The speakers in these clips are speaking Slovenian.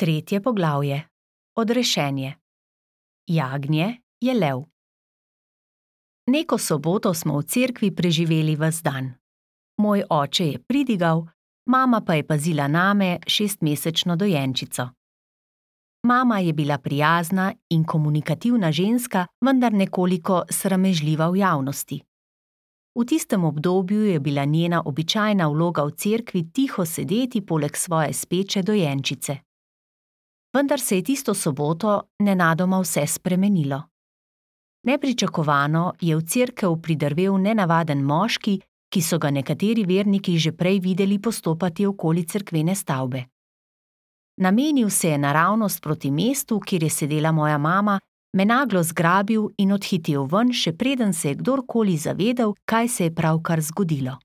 Tretje poglavje. Odrešenje. Jagnje je lev. Neko soboto smo v cerkvi preživeli ves dan. Moj oče je pridigal, mama pa je pazila name, 6-mesečno dojenčico. Mama je bila prijazna in komunikativna ženska, vendar nekoliko sramežljiva v javnosti. V tistem obdobju je bila njena običajna vloga v cerkvi tiho sedeti poleg svoje speče dojenčice. Vendar se je tisto soboto nenadoma vse spremenilo. Nepričakovano je v cerkev pridrvel nenavaden moški, ki so ga nekateri verniki že prej videli postopati okoli cerkvene stavbe. Namenil se je naravnost proti mestu, kjer je sedela moja mama, me naglo zgrabil in odhitel ven, še preden se je kdorkoli zavedel, kaj se je pravkar zgodilo.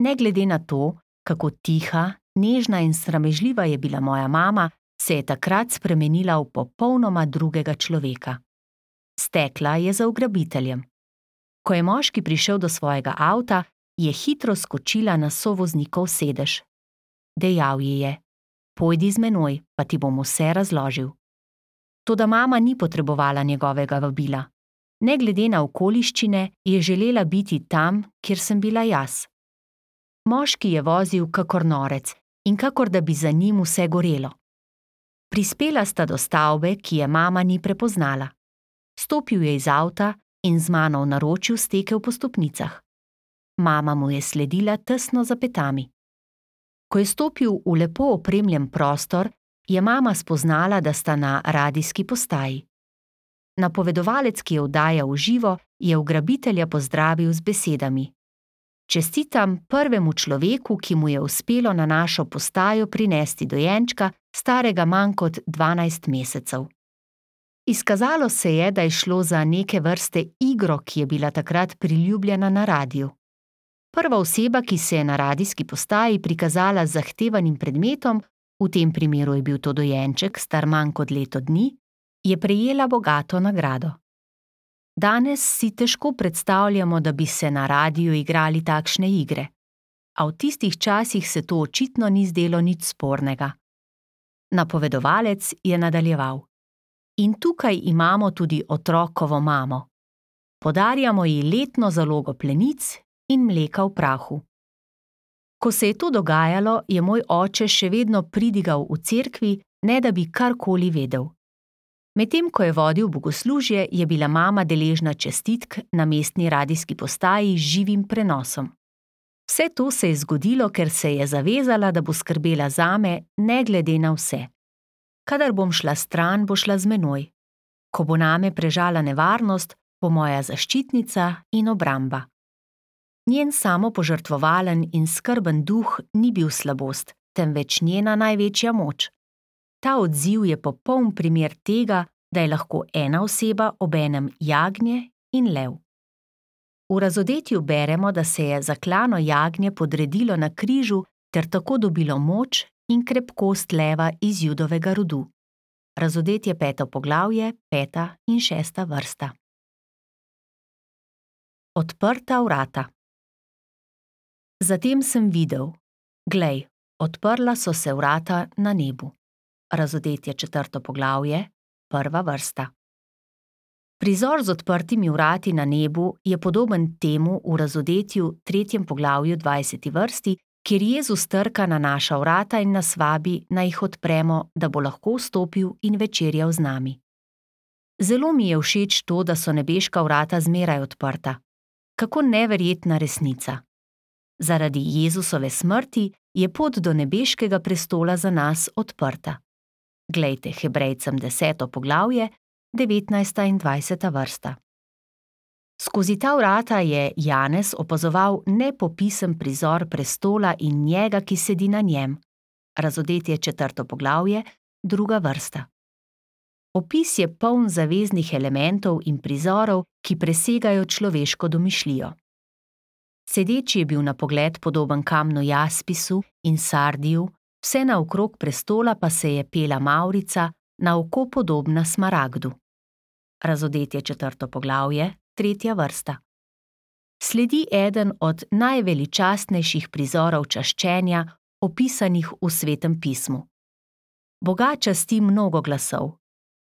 Ne glede na to, kako tiha, nežna in sramežljiva je bila moja mama, se je takrat spremenila v popolnoma drugega človeka. Stekla je za ugrabiteljem. Ko je moški prišel do svojega avta, je hitro skočila na sovoznikov sedež. Dejal ji je: "Pojdi z menoj, pa ti bom vse razložil." Toda mama ni potrebovala njegovega vabila. Ne glede na okoliščine, je želela biti tam, kjer sem bila jaz. Moški je vozil kakor norec in kakor da bi za njim vse gorelo. Prispela sta do stavbe, ki je mama ni prepoznala. Stopil je iz avta in z mano v naročju stekel po stopnicah. Mama mu je sledila tesno za petami. Ko je stopil v lepo opremljen prostor, je mama spoznala, da sta na radijski postaji. Napovedovalec, ki je oddajal v živo, je ugrabitelja pozdravil z besedami: "Čestitam prvemu človeku, ki mu je uspelo na našo postajo prinesti dojenčka, starega manj kot 12 mesecev." Izkazalo se je, da je šlo za neke vrste igro, ki je bila takrat priljubljena na radiju. Prva oseba, ki se je na radijski postaji prikazala z zahtevanim predmetom, v tem primeru je bil to dojenček, star manj kot leto dni, je prejela bogato nagrado. Danes si težko predstavljamo, da bi se na radiju igrali takšne igre. A v tistih časih se to očitno ni zdelo nič spornega. Napovedovalec je nadaljeval: "In tukaj imamo tudi otrokovo mamo. Podarjamo ji letno zalogo plenic in mleka v prahu." Ko se je to dogajalo, je moj oče še vedno pridigal v cerkvi, ne da bi karkoli vedel. Medtem ko je vodil bogoslužje, je bila mama deležna čestitk na mestni radijski postaji z živim prenosom. Vse to se je zgodilo, ker se je zavezala, da bo skrbela zame, ne glede na vse. Kadar bom šla stran, bo šla z menoj. Ko bo name prežala nevarnost, bo moja zaščitnica in obramba. Njen samopožrtvovalen in skrben duh ni bil slabost, temveč njena največja moč. Ta odziv je popoln primer tega, da je lahko ena oseba obenem jagnje in lev. V Razodetju beremo, da se je zaklano jagnje podredilo na križu ter tako dobilo moč in krepkost leva iz Judovega rodu. Razodetje 5. poglavje, 5. in 6. vrsta. Odprta vrata. Zatem sem videl: glej, odprla so se vrata na nebu. Razodetje 4. poglavje, 1. vrsta. Prizor z odprtimi vrati na nebu je podoben temu v Razodetju 3. poglavju 20. vrsti, kjer Jezus trka na naša vrata in nas vabi, naj jih odpremo, da bo lahko vstopil in večerjal z nami. Zelo mi je všeč to, da so nebeška vrata zmeraj odprta. Kako neverjetna resnica! Zaradi Jezusove smrti je pot do nebeškega prestola za nas odprta. Glejte Hebrejcem 10. poglavje, 19. in 20. vrsta. Skozi ta vrata je Janez opazoval nepopisen prizor prestola in njega, ki sedi na njem. Razodetje 4. poglavje, 2. vrsta. Opis je poln zaveznih elementov in prizorov, ki presegajo človeško domišljijo. Sedeči je bil na pogled podoben kamnu jaspisu in sardiju, vse naokrog prestola pa se je pela mavrica, na oko podobna smaragdu. Razodetje 4. poglavje, 3. vrsta. Sledi eden od najveličastnejših prizorov čaščenja, opisanih v Svetem pismu. Boga časti mnogo glasov,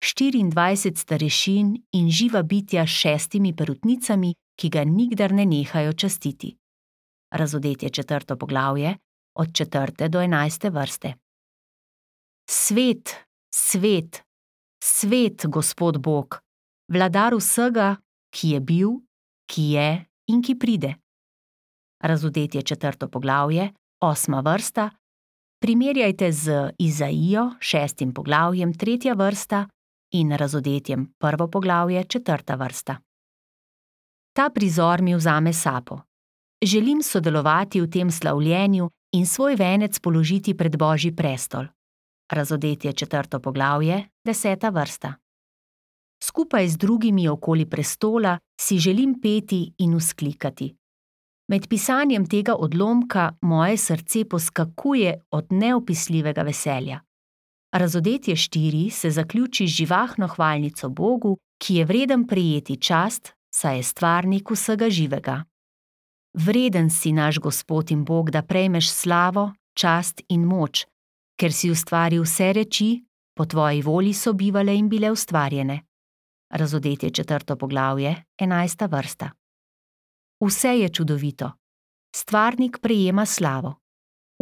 24 starešin in živa bitja s 6 perutnicami, ki ga nikdar ne nehajo častiti. Razodetje 4. poglavje, od 4. do 11. vrste. Svet, svet, svet, Gospod Bog, vladar vsega, ki je bil, ki je in ki pride. Razodetje 4. poglavje, 8. vrsta, primerjajte z Izaijo 6. poglavjem 3. vrsta in Razodetjem 1. poglavje 4. vrsta. Ta prizor mi vzame sapo. Želim sodelovati v tem slavljenju in svoj venec položiti pred Božji prestol. Razodetje 4. poglavje, 10. vrsta. Skupaj z drugimi okoli prestola si želim peti in vzklikati. Med pisanjem tega odlomka moje srce poskakuje od neopisljivega veselja. Razodetje 4 se zaključi z živahno hvalnico Bogu, ki je vreden prejeti čast, saj je stvarnik vsega živega. Vreden si naš Gospod in Bog, da prejmeš slavo, čast in moč, ker si ustvaril vse reči, po tvoji volji so bivale in bile ustvarjene. Razodetje 4. poglavje, 11. vrsta. Vse je čudovito. Stvarnik prejema slavo.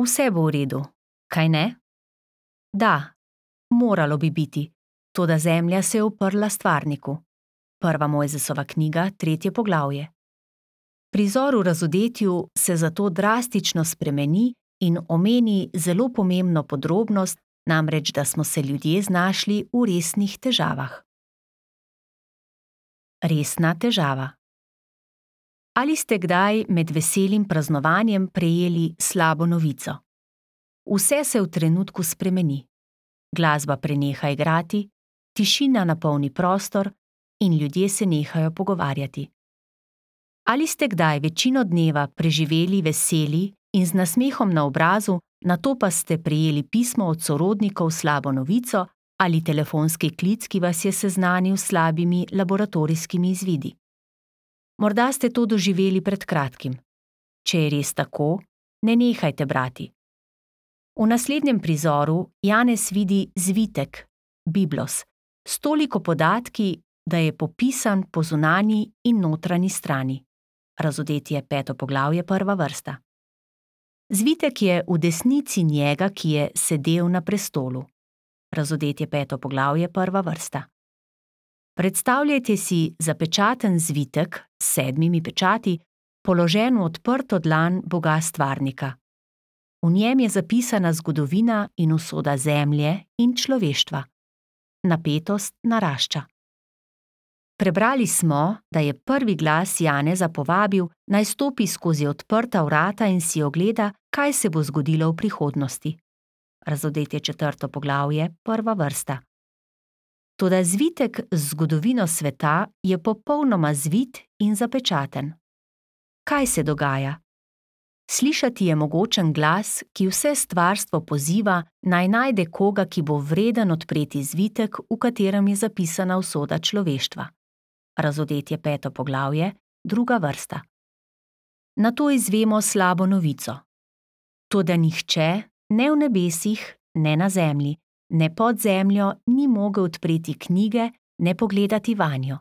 Vse bo v redu, kaj ne? Da, moralo bi biti, toda zemlja se je uprla stvarniku. 1. Mojzesova knjiga, 3. poglavje. Prizor v razodetju se zato drastično spremeni in omeni zelo pomembno podrobnost, namreč da smo se ljudje znašli v resnih težavah. Resna težava. Ali ste kdaj med veselim praznovanjem prejeli slabo novico? Vse se v trenutku spremeni. Glasba preneha igrati, tišina napolni prostor in ljudje se nehajo pogovarjati. Ali ste kdaj večino dneva preživeli veseli in z nasmehom na obrazu, nato pa ste prejeli pismo od sorodnikov s slabo novico ali telefonski klic, ki vas je seznanil s slabimi laboratorijskimi izvidi? Morda ste to doživeli pred kratkim. Če je res tako, ne nehajte brati. V naslednjem prizoru Janez vidi zvitek, Biblos, s toliko podatki, da je popisan po zunanji in notranji strani. Razodetje 5. poglavje, 1. vrsta. Zvitek je v desnici njega, ki je sedel na prestolu. Razodetje 5. poglavje, 1. vrsta. Predstavljajte si zapečaten zvitek s 7 pečati, položen v odprto dlan Boga stvarnika. V njem je zapisana zgodovina in usoda zemlje in človeštva. Napetost narašča. Prebrali smo, da je prvi glas Janeza povabil, naj stopi skozi odprta vrata in si ogleda, kaj se bo zgodilo v prihodnosti. Razodetje 4. poglavje, 1. vrsta. Toda zvitek z zgodovino sveta je popolnoma zvit in zapečaten. Kaj se dogaja? Slišati je mogočen glas, ki vse stvarstvo poziva, naj najde koga, ki bo vreden odpreti zvitek, v katerem je zapisana usoda človeštva. Razodetje 5. poglavje, 2. vrsta. Nato izvemo slabo novico. Toda nihče, ne v nebesih, ne na zemlji, ne pod zemljo, ni mogel odpreti knjige, ne pogledati vanjo.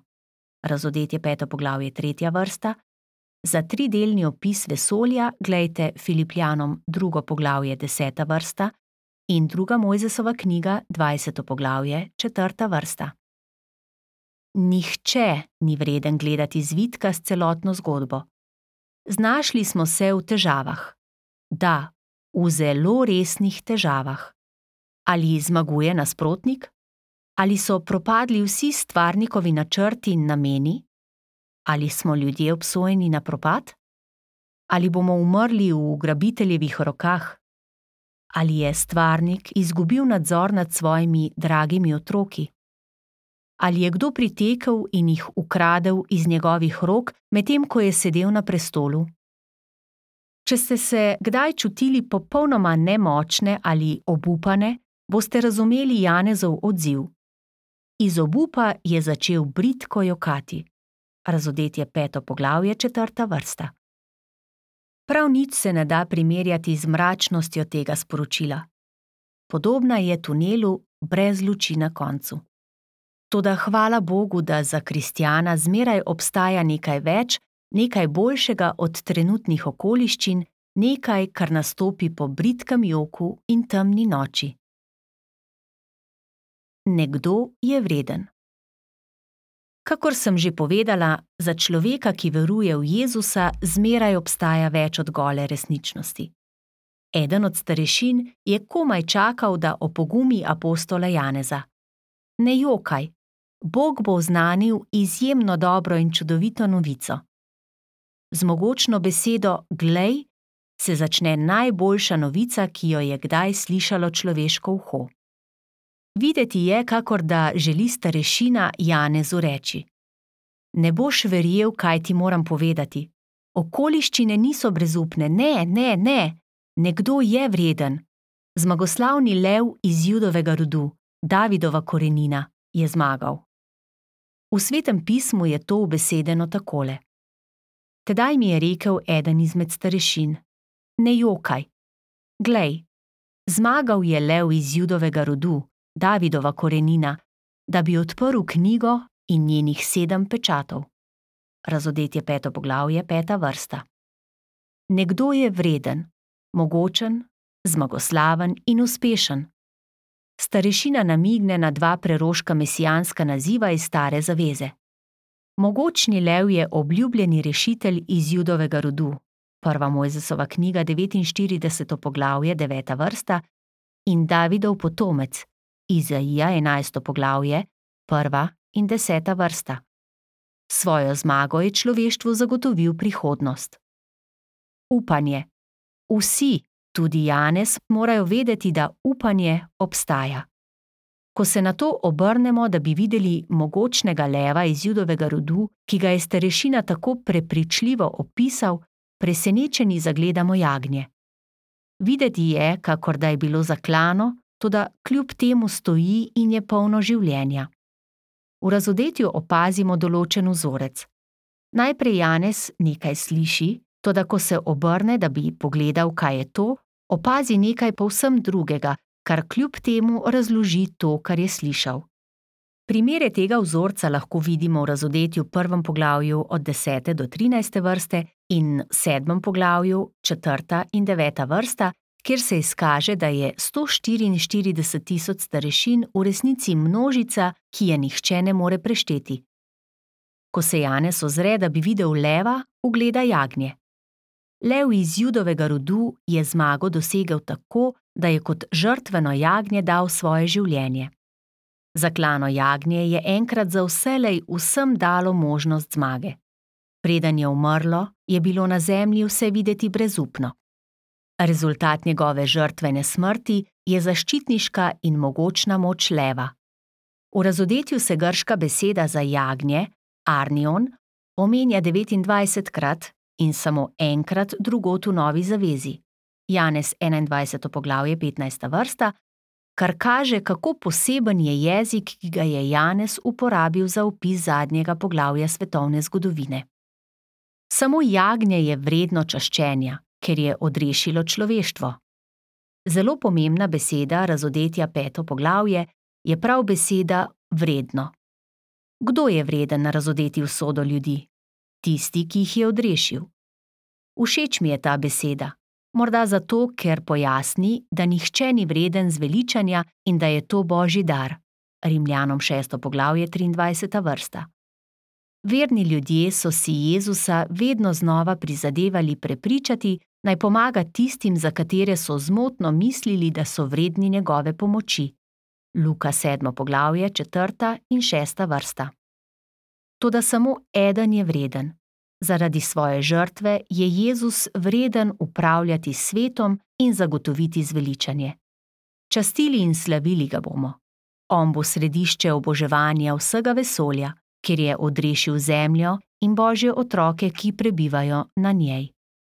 Razodetje 5. poglavje, 3. vrsta. Za 3-delni opis vesolja glejte Filipljanom 2. poglavje, 10. vrsta in 2. Mojzesova knjiga, 20. poglavje, 4. vrsta. Nihče ni vreden gledati zvitka s celotno zgodbo. Znašli smo se v težavah. Da, v zelo resnih težavah. Ali zmaguje nasprotnik? Ali so propadli vsi stvarnikovi načrti in nameni? Ali smo ljudje obsojeni na propad? Ali bomo umrli v ugrabiteljevih rokah? Ali je stvarnik izgubil nadzor nad svojimi dragimi otroki? Ali je kdo pritekel in jih ukradel iz njegovih rok, medtem ko je sedel na prestolu? Če ste se kdaj čutili popolnoma nemočne ali obupane, boste razumeli Janezov odziv. Iz obupa je začel bridko jokati. Razodetje 5. poglavje, 4. vrsta. Prav nič se ne da primerjati z mračnostjo tega sporočila. Podobna je tunelu, brez luči na koncu. Toda hvala Bogu, da za kristjana zmeraj obstaja nekaj več, nekaj boljšega od trenutnih okoliščin, nekaj, kar nastopi po bridkem joku in temni noči. Nekdo je vreden. Kakor sem že povedala, za človeka, ki veruje v Jezusa, zmeraj obstaja več od gole resničnosti. Eden od starešin je komaj čakal, da opogumi apostola Janeza. Ne jokaj, Bog bo oznanil izjemno dobro in čudovito novico. Z mogočno besedo glej se začne najboljša novica, ki jo je kdaj slišalo človeško uho. Videti je, kakor da želi starešina Janezu reči: Ne boš verjel, kaj ti moram povedati. Okoliščine niso brezupne, ne. Nekdo je vreden. Zmagoslavni lev iz Judovega rodu, Davidova korenina, je zmagal. V Svetem pismu je to ubesedeno takole. Tedaj mi je rekel eden izmed starešin: Ne jokaj. Glej, zmagal je lev iz Judovega rodu, Davidova korenina, da bi odprl knjigo in njenih 7 pečatov. Razodetje 5. poglavje, 5. vrsta. Nekdo je vreden, mogočen, zmagoslaven in uspešen. Starešina namigne na 2 preroška mesijanska naziva iz Stare zaveze. Mogočni lev je obljubljeni rešitelj iz Judovega rodu, 1. Mojzesova knjiga, 49. poglavje, 9. vrsta, in Davidov potomec, Izaija, 11. poglavje, 1. in 10. vrsta. Svojo zmago je človeštvu zagotovil prihodnost. Upanje. Vsi, tudi Janez, morajo vedeti, da upanje obstaja. Ko se na to obrnemo, da bi videli mogočnega leva iz Judovega rodu, ki ga je starešina tako prepričljivo opisal, presenečeni zagledamo jagnje. Videti je, kakor da je bilo zaklano, toda kljub temu stoji in je polno življenja. V razodetju opazimo določen vzorec. Najprej Janez nekaj sliši, toda ko se obrne, da bi pogledal, kaj je to, opazi nekaj povsem drugega, kar kljub temu razloži to, kar je slišal. Primere tega vzorca lahko vidimo v razodetju 1. poglavju od 10. do 13. vrste in 7. poglavju 4. in 9. vrsta, kjer se izkaže, da je 144 tisoč starešin v resnici množica, ki je nihče ne more prešteti. Ko se Janez ozre, da bi videl leva, ugleda jagnje. Lev iz Judovega rodu je zmago dosegel tako, da je kot žrtveno jagnje dal svoje življenje. Zaklano jagnje je enkrat za vselej vsem dalo možnost zmage. Preden je umrlo, je bilo na zemlji vse videti brezupno. Rezultat njegove žrtvene smrti je zaščitniška in mogočna moč leva. V razodetju se grška beseda za jagnje, arnion, omenja 29krat in samo enkrat drugod v Novi zavezi, Janez 21. poglavje, 15. vrsta, kar kaže, kako poseben je jezik, ki ga je Janez uporabil za opis zadnjega poglavja svetovne zgodovine. Samo jagnje je vredno čaščenja, ker je odrešilo človeštvo. Zelo pomembna beseda razodetja 5. poglavje je prav beseda vredno. Kdo je vreden razodeti usodo ljudi? Tisti, ki jih je odrešil. Všeč mi je ta beseda, morda zato, ker pojasni, da nihče ni vreden zveličanja in da je to Božji dar. Rimljanom 6. poglavje, 23. vrsta. Verni ljudje so si Jezusa vedno znova prizadevali prepričati, naj pomaga tistim, za katere so zmotno mislili, da so vredni njegove pomoči. Luka 7. poglavje, 4. in 6. vrsta. Toda samo eden je vreden. Zaradi svoje žrtve je Jezus vreden upravljati svetom in zagotoviti zveličanje. Častili in slavili ga bomo. On bo središče oboževanja vsega vesolja, ker je odrešil zemljo in Božje otroke, ki prebivajo na njej.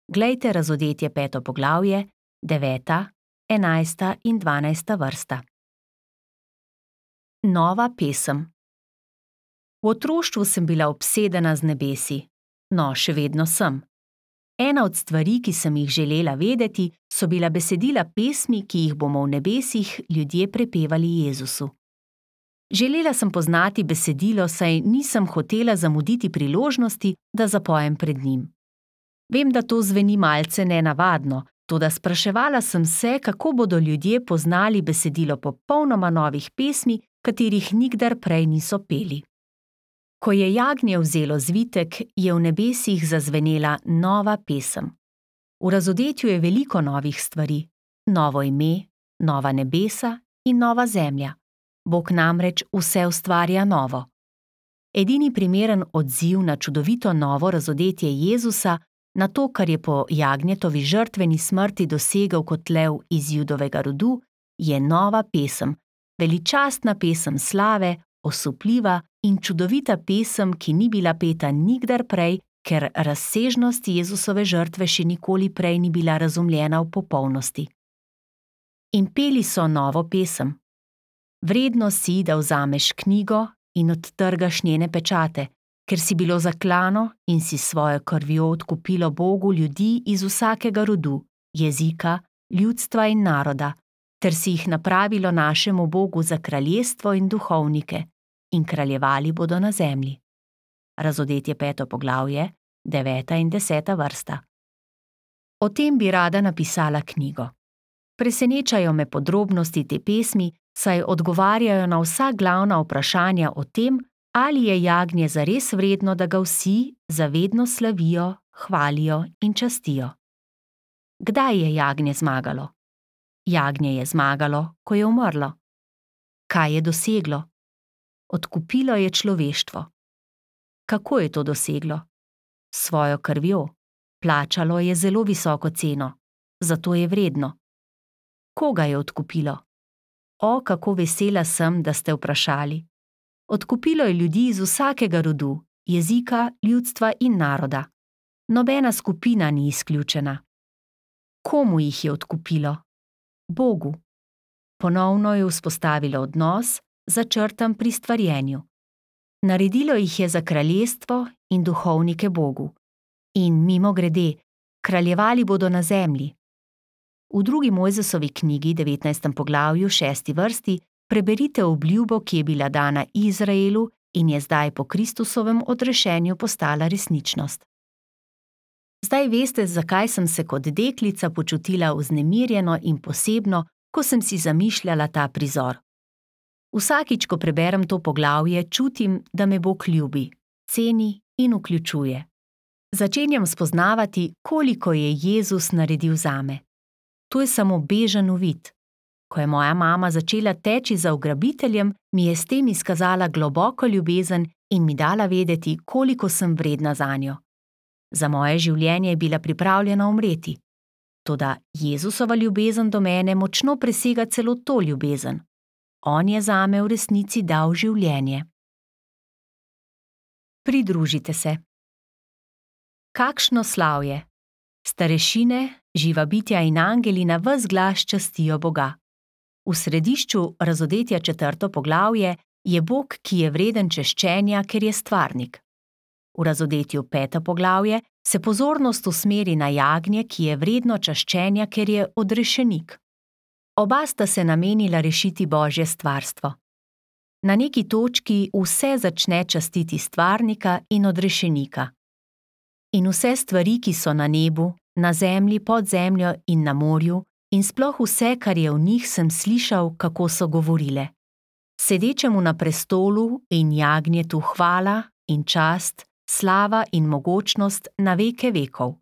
Glejte razodetje 5. poglavje, 9., 11. in 12. vrsta. Nova pesem. V otroštvu sem bila obsedena z nebesi. No, še vedno sem. Ena od stvari, ki sem jih želela vedeti, so bila besedila pesmi, ki jih bomo v nebesih ljudje prepevali Jezusu. Želela sem poznati besedilo, saj nisem hotela zamuditi priložnosti, da zapojem pred njim. Vem, da to zveni malce nenavadno, toda spraševala sem se, kako bodo ljudje poznali besedilo popolnoma novih pesmi, katerih nikdar prej niso peli. Ko je jagnje vzelo zvitek, je v nebesih zazvenela nova pesem. V razodetju je veliko novih stvari, novo ime, nova nebesa in nova zemlja. Bog namreč vse ustvarja novo. Edini primeren odziv na čudovito novo razodetje Jezusa, na to, kar je po jagnjetovi žrtveni smrti dosegel kot lev iz Judovega rodu, je nova pesem, veličastna pesem slave, osupljiva in čudovita pesem, ki ni bila peta nikdar prej, ker razsežnost Jezusove žrtve še nikoli prej ni bila razumljena v popolnosti. In peli so novo pesem. Vredno si, da vzameš knjigo in odtrgaš njene pečate, ker si bilo zaklano in si svojo krvjo odkupilo Bogu ljudi iz vsakega rodu, jezika, ljudstva in naroda, ter si jih napravilo našemu Bogu za kraljestvo in duhovnike, in kraljevali bodo na zemlji. Razodetje 5. poglavje, 9. in 10. vrsta. O tem bi rada napisala knjigo. Presenečajo me podrobnosti te pesmi, saj odgovarjajo na vsa glavna vprašanja o tem, ali je jagnje zares vredno, da ga vsi zavedno slavijo, hvalijo in častijo. Kdaj je jagnje zmagalo? Jagnje je zmagalo, ko je umrlo. Kaj je doseglo? Odkupilo je človeštvo. Kako je to doseglo? S svojo krvjo. Plačalo je zelo visoko ceno, zato je vredno. Koga je odkupilo? O, kako vesela sem, da ste vprašali. Odkupilo je ljudi iz vsakega rodu, jezika, ljudstva in naroda. Nobena skupina ni izključena. Komu jih je odkupilo? Bogu. Ponovno je vzpostavilo odnos, začrtan pri stvarjenju. Naredilo jih je za kraljestvo in duhovnike Bogu. In mimogrede, kraljevali bodo na zemlji. V 2. Mojzesovi knjigi, 19. poglavju, 6. vrsti, preberite obljubo, ki je bila dana Izraelu in je zdaj po Kristusovem odrešenju postala resničnost. Zdaj veste, zakaj sem se kot deklica počutila vznemirjeno in posebno, ko sem si zamišljala ta prizor. Vsakič, ko preberem to poglavje, čutim, da me Bog ljubi, ceni in vključuje. Začenjam spoznavati, koliko je Jezus naredil zame. To je samo bežen uvid. Ko je moja mama začela teči za ugrabiteljem, mi je s tem izkazala globoko ljubezen in mi dala vedeti, koliko sem vredna zanjo. Za moje življenje je bila pripravljena umreti. Toda Jezusova ljubezen do mene močno presega celo to ljubezen. On je zame v resnici dal življenje. Pridružite se. Kakšno slavje! Starešine, živa bitja in angeli na ves glas častijo Boga. V središču razodetja 4. poglavje je Bog, ki je vreden češčenja, ker je stvarnik. V razodetju 5. poglavje se pozornost usmeri na jagnje, ki je vredno čaščenja, ker je odrešenik. Oba sta se namenila rešiti Božje stvarstvo. Na neki točki vse začne častiti stvarnika in odrešenika. In vse stvari, ki so na nebu, na zemlji, pod zemljo in na morju, in sploh vse, kar je v njih, sem slišal, kako so govorile. Sedečemu na prestolu in jagnjetu hvala in čast, slava in mogočnost na veke vekov.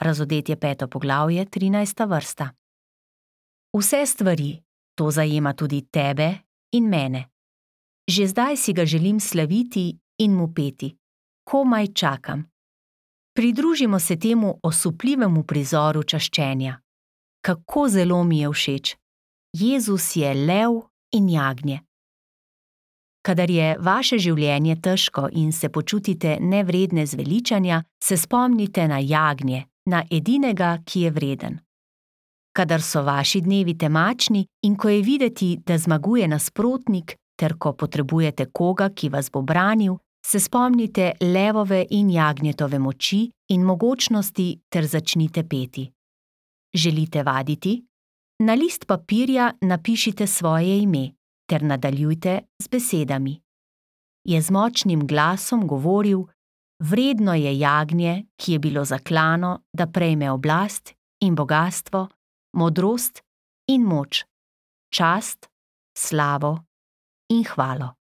Razodetje 5. poglavje, 13. vrsta. Vse stvari, to zajema tudi tebe in mene. Že zdaj si ga želim slaviti in mu peti. Komaj čakam. Pridružimo se temu osupljivemu prizoru čaščenja. Kako zelo mi je všeč. Jezus je lev in jagnje. Kadar je vaše življenje težko in se počutite nevredne zveličanja, se spomnite na jagnje, na edinega, ki je vreden. Kadar so vaši dnevi temačni in ko je videti, da zmaguje nasprotnik, ter ko potrebujete koga, ki vas bo branil, se spomnite levove in jagnjetove moči in mogočnosti ter začnite peti. Želite vaditi? Na list papirja napišite svoje ime ter nadaljujte z besedami. Je z močnim glasom govoril: vredno je jagnje, ki je bilo zaklano, da prejme oblast in bogastvo, modrost in moč, čast, slavo in hvalo.